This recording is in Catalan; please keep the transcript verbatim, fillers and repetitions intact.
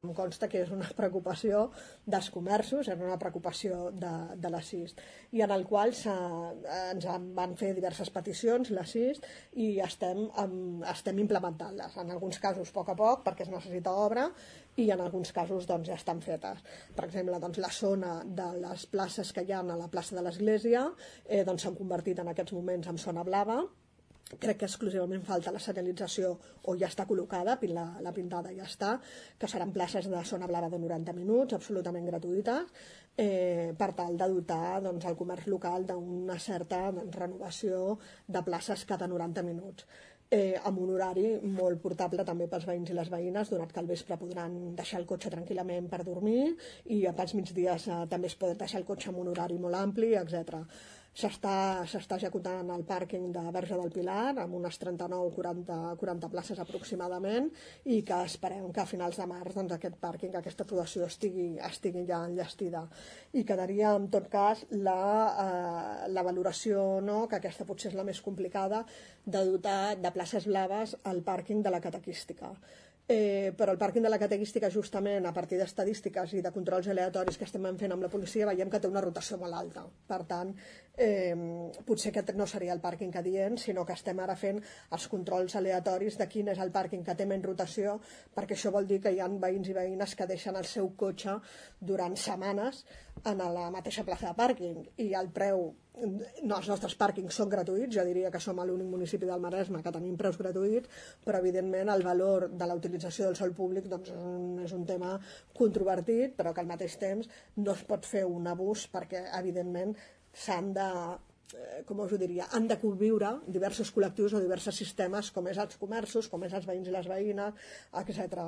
Em consta que és una preocupació dels comerços, és una preocupació de, de la C I S T, i en el qual ens van fer diverses peticions, la C I S T, i estem, estem implementant-les. En alguns casos a poc a poc, perquè es necessita obra, i en alguns casos doncs, ja estan fetes. Per exemple, doncs, la zona de les places que hi ha a la plaça de l'Església eh, doncs, s'han convertit en aquests moments en zona blava. Crec que exclusivament falta la senyalització, o ja està col·locada, la, la pintada ja està, que seran places de zona blava de noranta minuts, absolutament gratuïtes, eh, per tal de dotar doncs, el comerç local d'una certa doncs, renovació de places cada noranta minuts. Eh, amb un horari molt portable també pels veïns i les veïnes, donat que al vespre podran deixar el cotxe tranquil·lament per dormir i pels migdies eh, també es pot deixar el cotxe amb un horari molt ampli, etcètera. S'està executant el pàrquing de Verge del Pilar amb unes trenta-nou quaranta, quaranta places aproximadament, i que esperem que a finals de març doncs, aquest pàrquing, aquesta aprovació estigui, estigui ja enllestida, i quedaria en tot cas la, eh, la valoració, no, que aquesta potser és la més complicada, de dotar de places blaves al pàrquing de la catequística. Eh, però el pàrquing de la catequística, justament a partir d'estadístiques i de controls aleatoris que estem fent amb la policia, veiem que té una rotació molt alta. Per tant, eh, potser aquest no seria el pàrquing adient, sinó que estem ara fent els controls aleatoris de quin és el pàrquing que té menys rotació, perquè això vol dir que hi ha veïns i veïnes que deixen el seu cotxe durant setmanes en la mateixa plaça de pàrquing, i el preu... No, els nostres pàrquings són gratuïts, jo diria que som l'únic municipi del Maresme que tenim preus gratuïts, però evidentment el valor de la utilització del sòl públic doncs, és un tema controvertit, però que al mateix temps no es pot fer un abús, perquè evidentment s'han de, com us ho diria, han de conviure diversos col·lectius o diversos sistemes, com és els comerços, com és els veïns i les veïnes, etcètera.